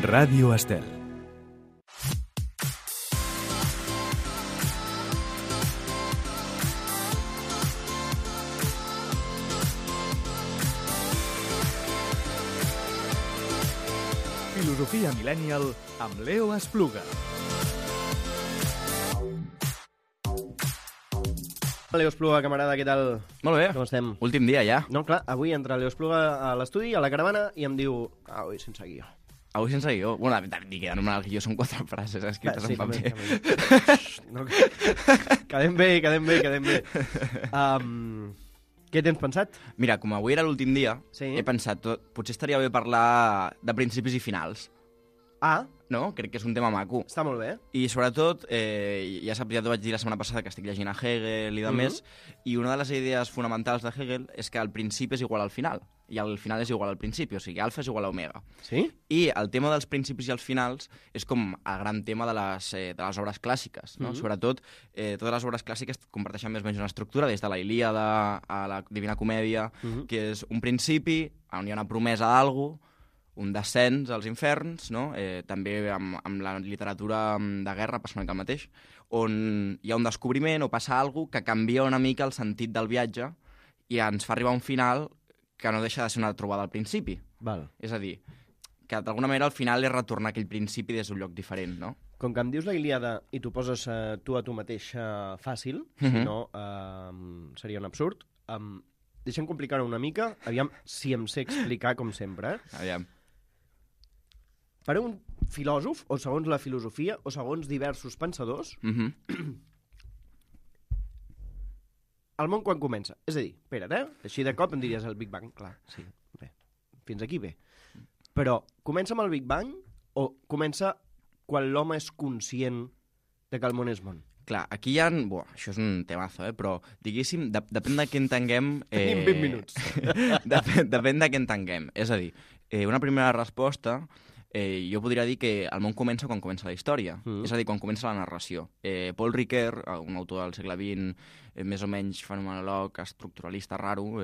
Ràdio Estel. Filosofia Millennial amb Leo Espluga. Leo Espluga, camarada, què tal? Molt bé. Com estem? Últim dia, ja. No, clar, avui entra Leo Espluga a l'estudi, a la caravana, i em diu... Avui sense guió. Avui sense guió. Bueno, dir que anomenar el guió són 4 frases escrites en paper. No, quedem bé. Què tens pensat? Mira, com avui era l'últim dia, Sí. he pensat, potser estaria bé parlar de principis i finals. Ah, No? Crec que és un tema maco. està molt bé. I sobretot, ja saps, ja t'ho vaig dir la setmana passada que estic llegint a Hegel i de més, i una de les idees fonamentals de Hegel és que el principi és igual al final, i el final és igual al principi, o sigui, alfa és igual a omega. Sí? I el tema dels principis i els finals és com el gran tema de les obres clàssiques, no? Sobretot, totes les obres clàssiques comparteixen més o menys una estructura, des de la Ilíada a la Divina Comèdia, que és un principi on hi ha una promesa d'algú, un descens als inferns, no? També amb la literatura de guerra passa una mica el mateix, on hi ha un descobriment o passa alguna cosa que canvia una mica el sentit del viatge i ens fa arribar a un final que no deixa de ser una trobada al principi. Val. És a dir, que d'alguna manera al final és retornar a aquell principi des d'un lloc diferent, no? Com que em dius la Ilíada i t'ho poses tu a tu mateix fàcil, si no seria un absurd, deixa'm complicar-ho una mica, aviam si em sé explicar com sempre. Aviam. Per un filòsof, o segons la filosofia, o segons diversos pensadors, el món quan comença? És a dir, espera't, així de cop em diries el Big Bang, clar, sí, bé, fins aquí bé. Però comença amb el Big Bang o comença quan l'home és conscient de que el món és món? Clar, aquí hi ha... això és un temazo, però diguéssim, depèn de què entenguem... Tenim 20 minuts. Depèn de què entenguem. És a dir, una primera resposta... jo podria dir que el món comença quan comença la història, és a dir, quan comença la narració. Paul Ricoeur, un autor del segle XX, més o menys fenomenòleg, estructuralista, raro,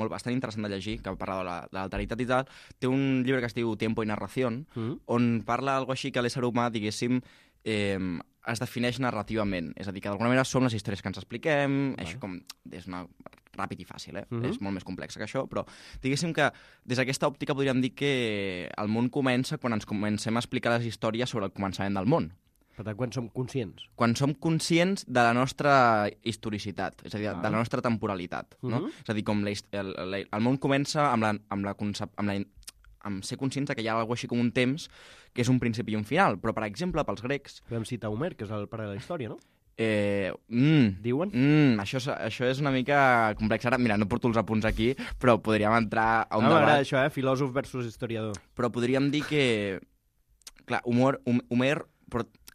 bastant interessant de llegir, que parla de l'alteritat i tal, té un llibre que es diu Tiempo y Narración, on parla algo així que l'ésser humà, diguéssim, es defineix narrativament. És a dir, que d'alguna manera som les històries que ens expliquem, això com és ràpid i fàcil, és molt més complex que això, però diguéssim que des d'aquesta òptica podríem dir que el món comença quan ens comencem a explicar les històries sobre el començament del món. Per tant, quan som conscients? Quan som conscients de la nostra historicitat, és a dir, de la nostra temporalitat. No? És a dir, com el món comença amb ser conscients que hi ha alguna així com un temps que és un principi i un final. Però, per exemple, pels grecs... Podem citar Homer, que és el pare de la història, no? Diuen? Això és una mica complex. Ara, mira, no porto els apunts aquí, però podríem entrar a un debat. M'agrada això, filòsof versus historiador. Però podríem dir que... Clar, Homer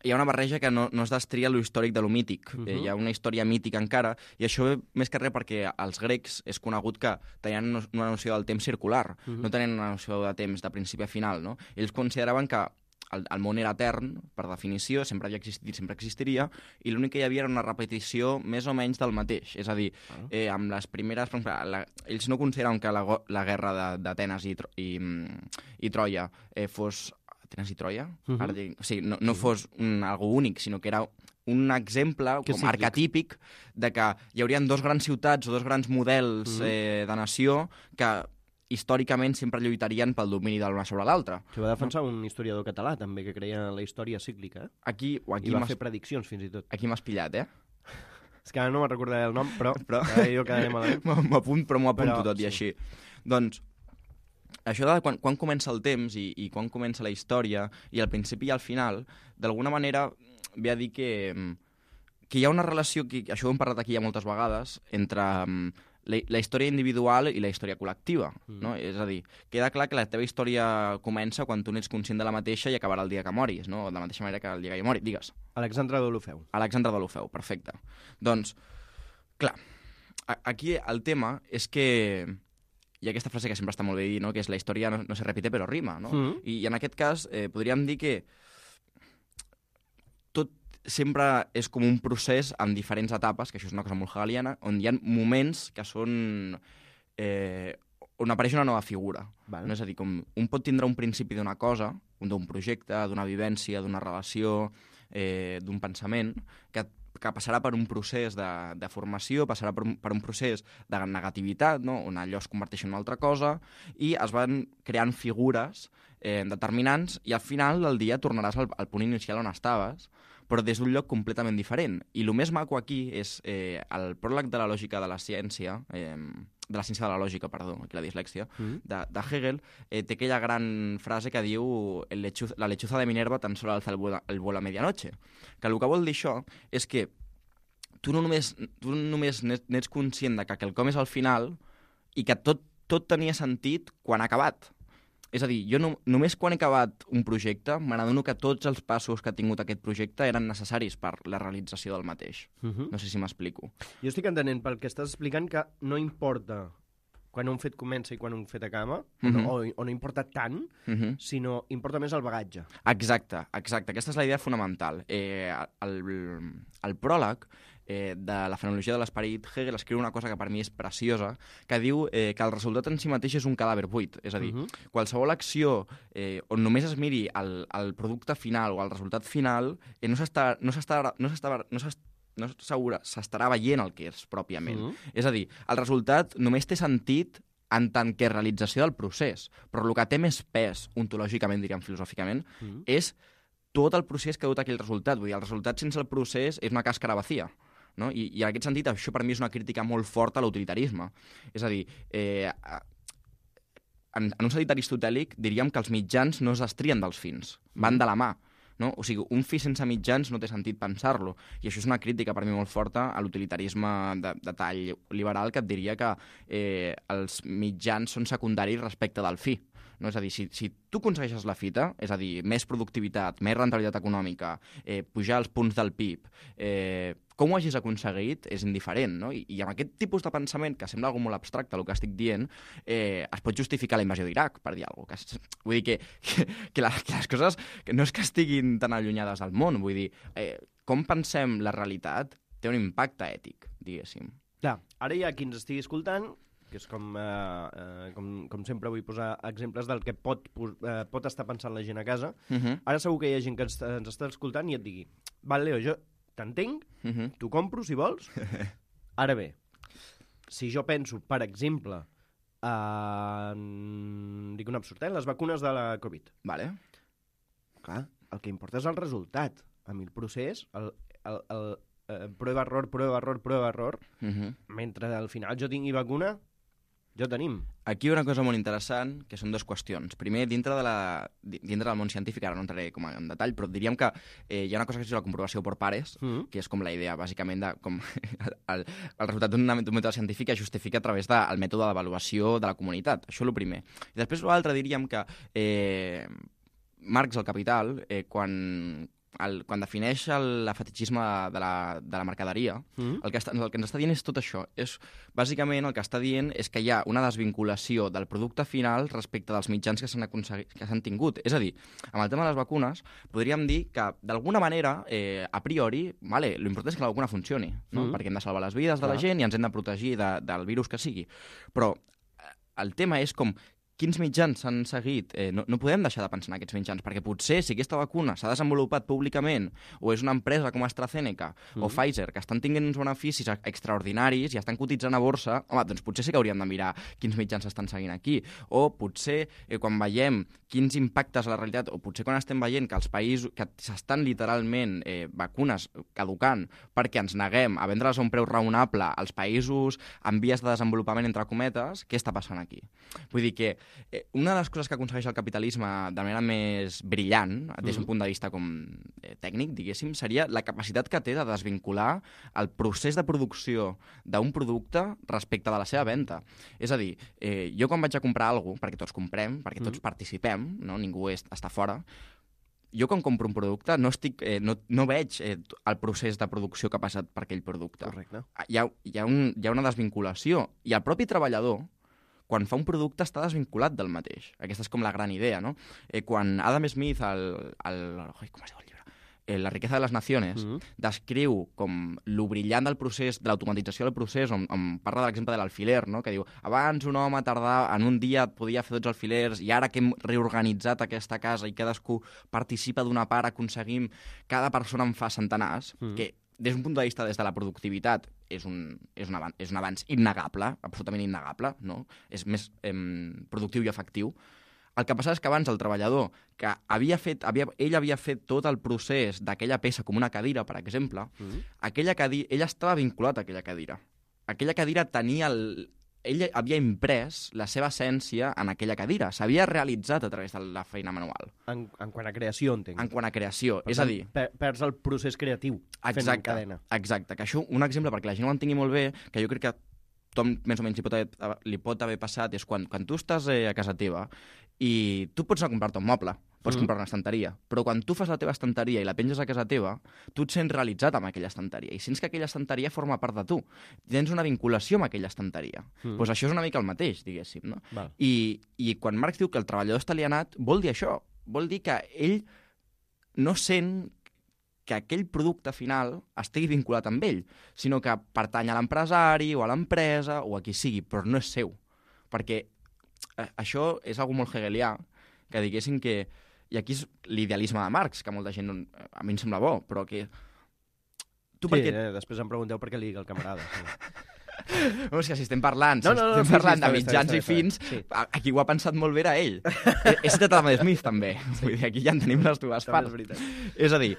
hi ha una barreja que no es destria lo històric de lo mític. Hi ha una història mítica encara, i això ve més que res perquè als grecs és conegut que tenien una noció del temps circular, no tenien una noció de temps de principi a final, no? Ells consideraven que el món era etern, per definició, sempre havia existit, sempre existiria, i l'únic que hi havia era una repetició més o menys del mateix. És a dir, amb les primeres... ells no consideraven que la guerra d'Atenes i Troia fos... Atenes i Troia? Ara dic, o sigui, no fos algo únic, sinó que era un exemple com arquetípic de que hi haurien dos grans ciutats o dos grans models de nació que històricament sempre lluitarien pel domini de l'una sobre l'altra. Això va defensar un historiador català, també, que creia en la història cíclica. Aquí I va fer prediccions, fins i tot. Aquí m'has pillat, És que ara no me'n recordaré el nom, però jo quedaré malament. M'ho apunto tot i així. Doncs, això de quan comença el temps i quan comença la història, i al principi i al final, d'alguna manera ve a dir que hi ha una relació, això ho hem parlat aquí ja moltes vegades, entre la història individual i la història col·lectiva, no? És a dir, queda clar que la teva història comença quan tu n'ets conscient de la mateixa i acabarà el dia que moris, no? De la mateixa manera que el dia que jo mori. Digues. Alexandre d'Olofeu. Alexandre d'Olofeu, perfecte. Doncs, clar, aquí el tema és que hi ha aquesta frase que sempre està molt bé dir, no? Que és la història no se repite però rima, no? I en aquest cas podríem dir que tot sempre és com un procés amb diferents etapes, que això és una cosa molt hegeliana, on hi ha moments que són on apareix una nova figura. Val. No? És a dir, com un pot tindre un principi d'una cosa, d'un projecte, d'una vivència, d'una relació, d'un pensament, que passarà per un procés de formació, passarà per un procés de negativitat, no? On allò es converteix en una altra cosa, i es van creant figures determinants, i al final del dia tornaràs al punt inicial on estaves, però des d'un lloc completament diferent. I el més maco aquí és el pròleg de la lògica de la ciència, de la ciència de la lògica, perdó, aquí la dislèxia, de Hegel, té aquella gran frase que diu la lechuza de Minerva tan solo alza el vuelo a medianoche. Que el que vol dir això és que tu només n'ets conscient de que quelcom és al final i que tot tenia sentit quan ha acabat. És a dir, jo només quan he acabat un projecte m'adono que tots els passos que ha tingut aquest projecte eren necessaris per la realització del mateix. No sé si m'explico. Jo estic entenent pel que estàs explicant que no importa quan un fet comença i quan un fet acaba, o no importa tant, sinó importa més el bagatge. Exacte. Aquesta és la idea fonamental. El pròleg de la fenologia de l'esperit, Hegel escriu una cosa que per mi és preciosa, que diu que el resultat en si mateix és un cadàver buit. És a dir, qualsevol acció on només es miri el producte final o el resultat final, no s'estarà veient el que és pròpiament. És a dir, el resultat només té sentit en tant que realització del procés, però el que té més pes, ontològicament, diríem filosòficament, és tot el procés que ha dut aquell resultat. Vull dir, el resultat sense el procés és una càscara vacía. No? I en aquest sentit, això per mi és una crítica molt forta a l'utilitarisme. És a dir, en un sentit aristotèlic diríem que els mitjans no es destrien dels fins, van de la mà. No? O sigui, un fi sense mitjans no té sentit pensar-lo. I això és una crítica per mi molt forta a l'utilitarisme de tall liberal, que et diria que els mitjans són secundaris respecte del fi. No? És a dir, si tu aconsegueixes la fita, és a dir, més productivitat, més rendibilitat econòmica, pujar els punts del PIB, com ho hagis aconseguit és indiferent, no? I amb aquest tipus de pensament, que sembla algo molt abstracte, el que estic dient, es pot justificar la invasió d'Iraq, per dir alguna cosa. Vull dir que les coses no és que estiguin tan allunyades del món, vull dir, com pensem la realitat té un impacte ètic, diguéssim. Clar, ara hi ha qui ens estigui escoltant, que és com sempre vull posar exemples del que pot estar pensant la gent a casa. Ara segur que hi ha gent que ens està escoltant i et digui, val, Leo, jo t'entenc, t'ho compro si vols. Ara bé, si jo penso, per exemple, dic un absurd, les vacunes de la Covid. Vale. Clar, el que importa és el resultat. A mi el procés, el prova-error, mentre al final jo tingui vacuna, ja ho tenim. Aquí hi ha una cosa molt interessant, que són dues qüestions. Primer, dintre del món científic, ara no entraré com en detall, però diríem que hi ha una cosa que és la comprovació per pares, que és com la idea, bàsicament, de com el resultat d'un mètode científic es justifica a través del mètode d'avaluació de la comunitat. Això és el primer. I després l'altre diríem que Marx, el Capital, quan defineix el fetichisme de la mercaderia, el que ens està dient és tot això. Bàsicament, el que està dient és que hi ha una desvinculació del producte final respecte dels mitjans que s'han tingut. És a dir, amb el tema de les vacunes, podríem dir que, d'alguna manera, a priori, l'important és que la vacuna funcioni, no? Perquè hem de salvar les vides de la gent i ens hem de protegir del virus que sigui. Però el tema és com quins mitjans s'han seguit? No podem deixar de pensar en aquests mitjans, perquè potser si aquesta vacuna s'ha desenvolupat públicament o és una empresa com AstraZeneca o Pfizer que estan tinguent uns beneficis extraordinaris i estan cotitzant a borsa, home, doncs potser sí que hauríem de mirar quins mitjans s'estan seguint aquí. O potser quan veiem quins impactes a la realitat, o potser quan estem veient que els països que s'estan literalment vacunes caducant perquè ens neguem a vendre-les a un preu raonable als països en vies de desenvolupament, entre cometes, què està passant aquí? Vull dir que una de les coses que aconsegueix el capitalisme de manera més brillant, des d'un punt de vista com tècnic, diguéssim, seria la capacitat que té de desvincular el procés de producció d'un producte respecte de la seva venda. És a dir, jo quan vaig a comprar alguna cosa, perquè tots comprem, perquè tots participem, no? Ningú està fora, jo quan compro un producte no veig el procés de producció que ha passat per aquell producte. Correcte. Hi ha una desvinculació. I el propi treballador, quan fa un producte, està desvinculat del mateix. Aquesta és com la gran idea, no? Quan Adam Smith, com es diu el llibre? La riqueza de les nacions, descriu com lo brillant del procés, de l'automatització del procés, on parla de l'exemple de l'alfiler, no? Que diu, abans un home tardava, en un dia podia fer 12 alfilers, i ara que hem reorganitzat aquesta casa i cadascú participa d'una part, aconseguim, cada persona en fa centenars, que des d'un punt de vista des de la productivitat és un avanç innegable, absolutament innegable, no? És més productiu i efectiu. El que passa és que abans el treballador, que ell havia fet tot el procés d'aquella peça com una cadira, per exemple, ell estava vinculat a aquella cadira. Aquella cadira tenia ell havia imprès la seva essència en aquella cadira. S'havia realitzat a través de la feina manual. En quant a creació, entenc. En quant a creació. És a dir... Perds el procés creatiu fent cadena. Exacte. Que això, un exemple, perquè la gent ho entengui molt bé, que jo crec que tothom més o menys li pot haver passat, és quan tu estàs a casa teva i tu pots anar a comprar-te un moble, pots comprar una estanteria, però quan tu fas la teva estanteria i la penges a casa teva, tu et sents realitzat amb aquella estanteria i sents que aquella estanteria forma part de tu. Tens una vinculació amb aquella estanteria. Doncs això és una mica el mateix, diguéssim. No? I quan Marx diu que el treballador està alienat, vol dir això. Vol dir que ell no sent que aquell producte final estigui vinculat amb ell, sinó que pertany a l'empresari o a l'empresa o a qui sigui, però no és seu. Perquè això és algo molt hegelià, que diguéssim que... I aquí és l'idealisme de Marx, que molta gent a mi em sembla bo, però que... Després em pregunteu per què li dic el camarada. Sí. És que si estem parlant, de mitjans i fins, aquí ho ha pensat molt bé era ell. He citat Adam Smith, també. Vull dir, aquí ja en tenim les dues parts. És a dir,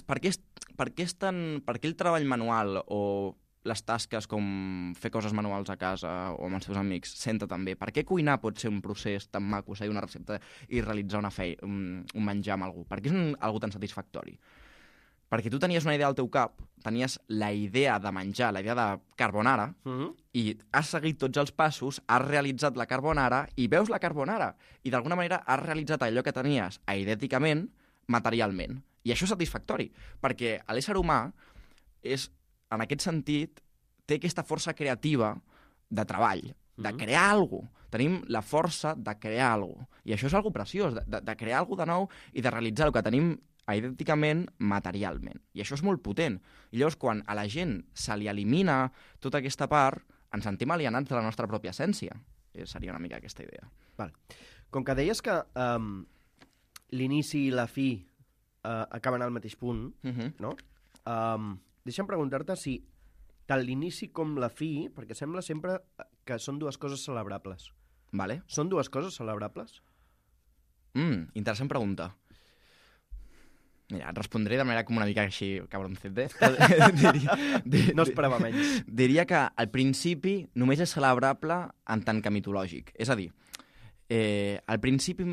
per què el treball manual o les tasques com fer coses manuals a casa o amb els seus amics senta també? Per què cuinar pot ser un procés tan maco, seguir una recepta i realitzar un menjar amb algú? Per què és algo tan satisfactori? Perquè tu tenies una idea al teu cap, tenies la idea de menjar, la idea de carbonara, i has seguit tots els passos, has realitzat la carbonara i veus la carbonara. I d'alguna manera has realitzat allò que tenies aidèticament, materialment. I això és satisfactori, perquè l'ésser humà és, en aquest sentit, té aquesta força creativa de treball, de crear alguna cosa. Tenim la força de crear alguna cosa. I això és algo preciós, de crear alguna cosa de nou i de realitzar el que tenim idènticament, materialment. I això és molt potent. I llavors, quan a la gent se li elimina tota aquesta part, ens sentim alienats de la nostra pròpia essència. Seria una mica aquesta idea. Vale. Com que deies que l'inici i la fi acaben al mateix punt, no? Deixa'm preguntar-te si tant l'inici com la fi, perquè sembla sempre que són dues coses celebrables. Vale. Són dues coses celebrables? Interessant pregunta. Mira, et respondré de manera com una mica així, cabroncete. No esperava menys. Diria que al principi només és celebrable en tant que mitològic. És a dir, al principi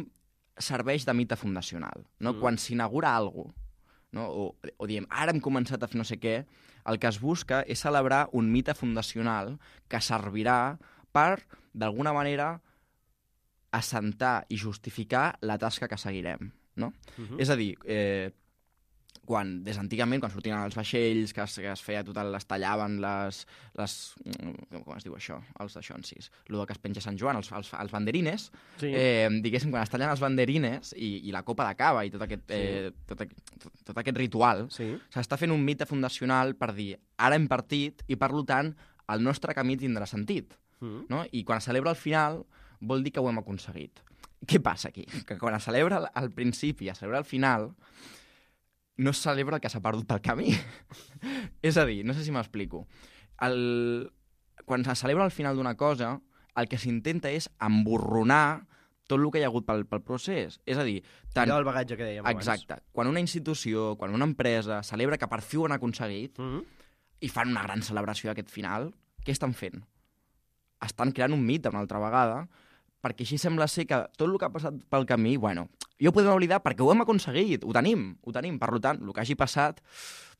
serveix de mite fundacional. No? Quan s'inaugura alguna cosa, no? O diem, ara hem començat a fer no sé què, el que es busca és celebrar un mite fundacional que servirà per, d'alguna manera, assentar i justificar la tasca que seguirem. No? És a dir, des d'antigament, quan sortien els vaixells, que es feia tot, les tallaven, com es diu això? Els daixonsis. El que es penja Sant Joan, els banderines, diguéssim, quan es tallen els banderines i la copa de cava i tot aquest ritual, s'està fent un mite fundacional per dir, ara hem partit i, per tant, el nostre camí tindrà sentit. No? I quan es celebra al final, vol dir que ho hem aconseguit. Què passa aquí? Que quan es celebra al principi i es celebra al final, no es celebra el que s'ha perdut pel camí. És a dir, no sé si m'explico. Quan se celebra al final d'una cosa, el que s'intenta és emborronar tot el que hi ha hagut pel procés. És a dir... Allò del bagatge que dèiem abans. Exacte. Quan una institució, quan una empresa celebra que per fi ho han aconseguit i fan una gran celebració d'aquest final, què estan fent? Estan creant un mite una altra vegada, perquè així sembla ser que tot el que ha passat pel camí, bueno, ja ho podem oblidar perquè ho hem aconseguit, ho tenim. Per tant, el que hagi passat,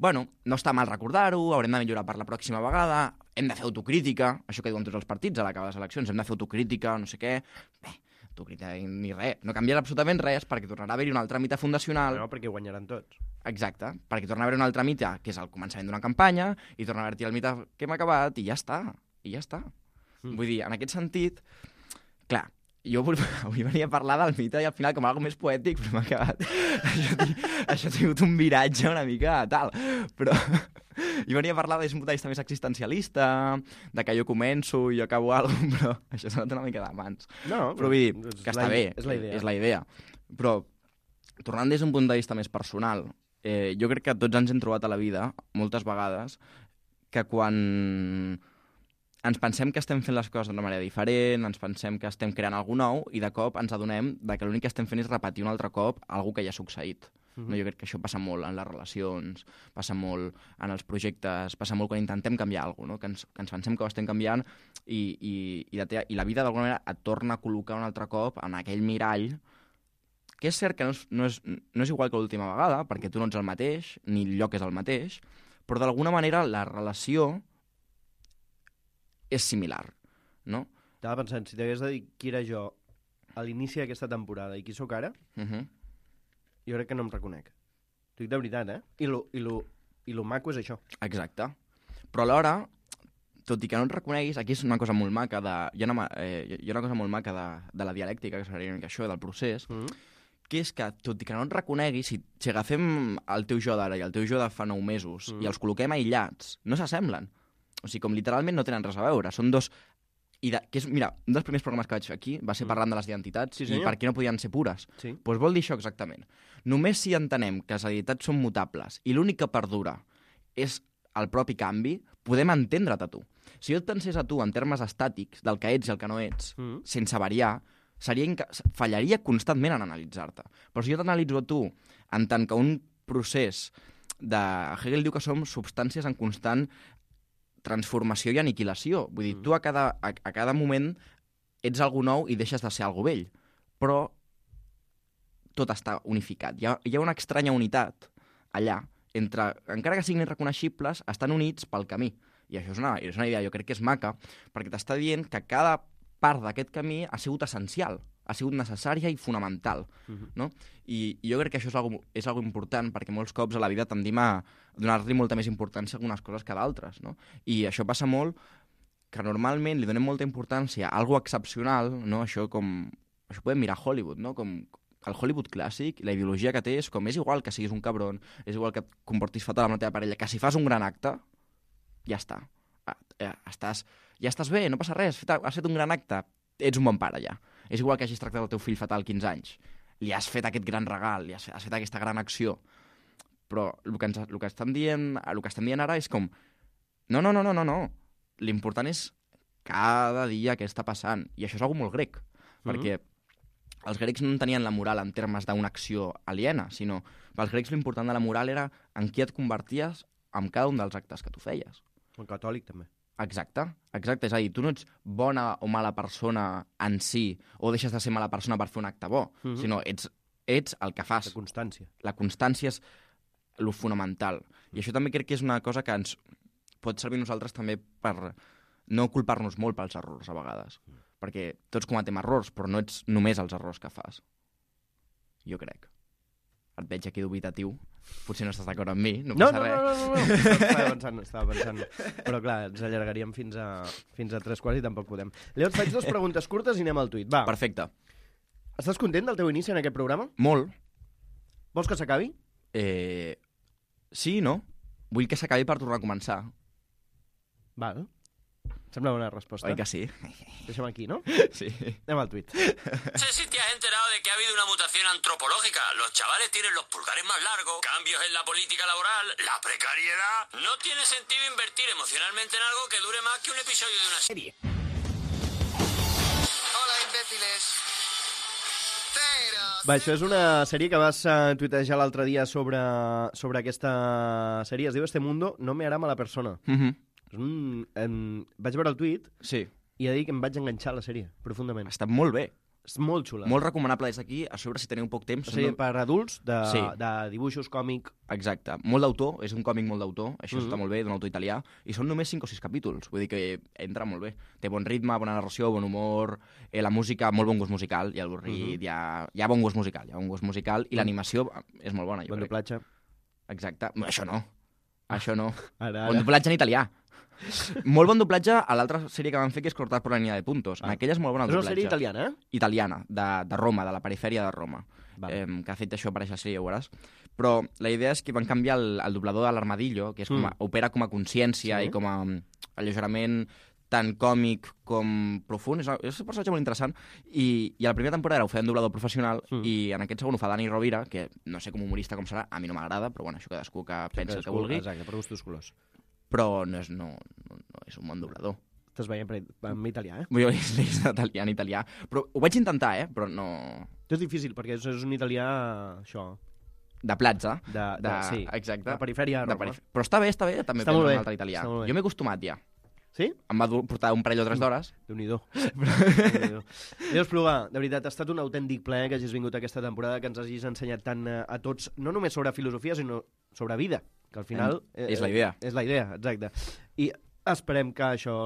bueno, no està mal recordar-ho, haurem de millorar per la pròxima vegada, hem de fer autocrítica, això que diuen tots els partits a l'acabar les eleccions, hem de fer autocrítica, no sé què. Bé, autocrítica ni res, no canviarà absolutament res perquè tornarà a haver-hi un altre mite fundacional. No, perquè guanyaran tots. Exacte, perquè tornarà a haver un altre mite, que és el començament d'una campanya, i torna a haver-hi el mite que hem acabat, i ja està. Vull dir, en aquest sentit, clar, jo avui venia a parlar del mite i al final com algo més poètic, però m'ha acabat. Això ha tingut un viratge una mica tal. Però jo venia a parlar des d'un punt de vista més existencialista, de que jo començo i jo acabo alguna cosa, però això s'ha anat una mica de mans. No, però vull dir que està bé, és la idea. Però tornant des d'un punt de vista més personal, jo crec que tots ens hem trobat a la vida, moltes vegades, que quan ens pensem que estem fent les coses d'una manera diferent, ens pensem que estem creant alguna nou i de cop ens adonem que l'únic que estem fent és repetir un altre cop alguna que ja ha succeït. No, jo crec que això passa molt en les relacions, passa molt en els projectes, passa molt quan intentem canviar alguna cosa, no? que ens pensem que ho estem canviant i la vida d'alguna manera et torna a col·locar un altre cop en aquell mirall, que és cert que no és igual que l'última vegada, perquè tu no ets el mateix, ni el lloc és el mateix, però d'alguna manera la relació és similar, no? Estava pensant, si t'hagués de dir qui era jo a l'inici d'aquesta temporada i qui sóc ara, jo crec que no em reconec. T'ho dic de veritat, eh? I lo maco és això. Exacte. Però alhora, tot i que no et reconeguis, aquí és una cosa molt maca hi ha una cosa molt maca de la dialèctica, que seria això, del procés, que és que, tot i que no et reconeguis, si agafem el teu jo d'ara i el teu jo de fa 9 mesos i els col·loquem aïllats, no s'assemblen. O sigui, com literalment no tenen res a veure. Són dos... Mira, un dels primers programes que vaig fer aquí va ser parlant de les identitats i per què no podien ser pures. Sí. Doncs vol dir això exactament. Només si entenem que les identitats són mutables i l'únic que perdura és el propi canvi, podem entendre't a tu. Si jo et pensés a tu en termes estàtics del que ets i el que no ets, sense variar, fallaria constantment en analitzar-te. Però si jo t'analitzo a tu en tant que un procés Hegel diu que som substàncies en constant transformació i aniquilació. Vull dir, tu a cada moment ets algú nou i deixes de ser algú vell. Però tot està unificat. Hi ha una estranya unitat allà entre, encara que siguin irreconeixibles, estan units pel camí. I això és una idea, jo crec que és maca, perquè t'està dient que cada part d'aquest camí ha sigut essencial, ha sigut necessària i fonamental. No? I jo crec que això és algo important, perquè molts cops a la vida tendim a donar-li molta més importància a algunes coses que a d'altres. No? I això passa molt, que normalment li donem molta importància a algo excepcional, no? Això podem mirar a Hollywood, no? Com el Hollywood clàssic, la ideologia que té és com és igual que siguis un cabron, és igual que et comportis fatal amb la teva parella, que si fas un gran acte, ja està. Ja estàs bé, no passa res, has fet un gran acte, ets un bon pare ja. És igual que hagis tractat el teu fill fatal 15 anys. Li has fet aquest gran regal, li has fet aquesta gran acció. Però el que estem dient ara és com no. L'important és cada dia què està passant. I això és algo molt grec, perquè els grecs no tenien la moral en termes d'una acció aliena, sinó pels grecs l'important de la moral era en qui et converties amb cada un dels actes que tu feies. Un catòlic, també. Exacte. És a dir, tu no ets bona o mala persona en si, o deixes de ser mala persona per fer un acte bo, sinó ets el que fas. La constància. La constància és lo fonamental. I això també crec que és una cosa que ens pot servir a nosaltres també per no culpar-nos molt pels errors a vegades. Perquè tots cometem errors, però no ets només els errors que fas. Jo crec. Et veig aquí dubitatiu. Potser no estàs d'acord amb mi, no passa res. No. Estava pensant. Però clar, ens allargaríem fins a 3 quarts i tampoc podem. Leo, et faig 2 preguntes curtes i anem al tuit. Va. Perfecte. Estàs content del teu inici en aquest programa? Molt. Vols que s'acabi? Sí, no? Vull que s'acabi per tornar a començar. Val. Sembla una respuesta. Oi que sí? Deixem aquí, ¿no? Sí. Anem al tuit. No sé si te has enterado de que ha habido una mutación antropológica. Los chavales tienen los pulgares más largos, cambios en la política laboral, la precariedad. No tiene sentido invertir emocionalmente en algo que dure más que un episodio de una serie. Hola, imbéciles. Va, això és una sèrie que vas tuitejar l'altre dia sobre aquesta sèrie. Es diu Este mundo no me hará mala persona. Vaig veure el tuit sí. I he de dir que em vaig enganxar a la sèrie profundament. Està molt bé. És molt xula. Molt recomanable des d'aquí, a sobre si teniu poc temps. O sigui, per adults, de dibuixos, còmic... Exacte. Molt d'autor, és un còmic molt d'autor, això està molt bé, d'un autor italià, i són només 5 o 6 capítols, vull dir que entra molt bé. Té bon ritme, bona narració, bon humor, la música, molt bon gust musical, i avorrit, hi ha bon gust musical, i l'animació és molt bona, jo crec. Bon doblatge. Exacte. Això no. Això no. Ara. Bon doblatge en italià. Molt bon doblatge a l'altra sèrie que van fer, que és Cortar por la línea de puntos. En aquella és molt bon el És una doblatge. sèrie italiana, eh? Italiana, de Roma, de la perifèria de Roma. Vale. Que ha fet això per aquesta sèrie, ho veuràs. Però la idea és que van canviar el doblador de l'Armadillo, que és opera com a consciència i com a alleugerament tan còmic com profund. És un personatge molt interessant. I a la primera temporada ho feia un doblador professional i en aquest segon ho fa Dani Rovira, que no sé com humorista com serà, a mi no m'agrada, però bueno, això cadascú que pensa el que vulgui. Exacte, per gustos colors. Però no és un bon doblador. Estàs veient en italià, eh? Jo l'he en italià. Però ho vaig intentar, però no... És difícil, perquè és un italià, això... De platja. Sí, exacte. de perifèria de Roma. Però està bé, també està aprendre un altre italià. Jo m'he acostumat ja. Sí? Em va portar un parell o 3 d'hores. Déu-n'hi-do. Déu Espluga, de veritat, ha estat un autèntic plaer que hagis vingut aquesta temporada, que ens hagis ensenyat tant a tots, no només sobre filosofia, sinó sobre vida, que al final... És la idea. És la idea, exacte. I esperem que això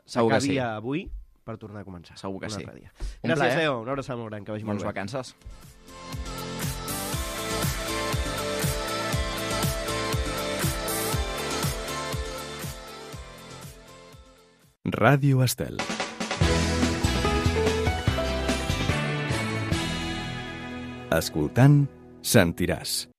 s'acabi avui per tornar a començar. Segur que sí. Gràcies, Leo. Una abraçada molt gran, que vagi molt bé. Bones vacances. Ràdio Estel. Escoltant, sentiràs.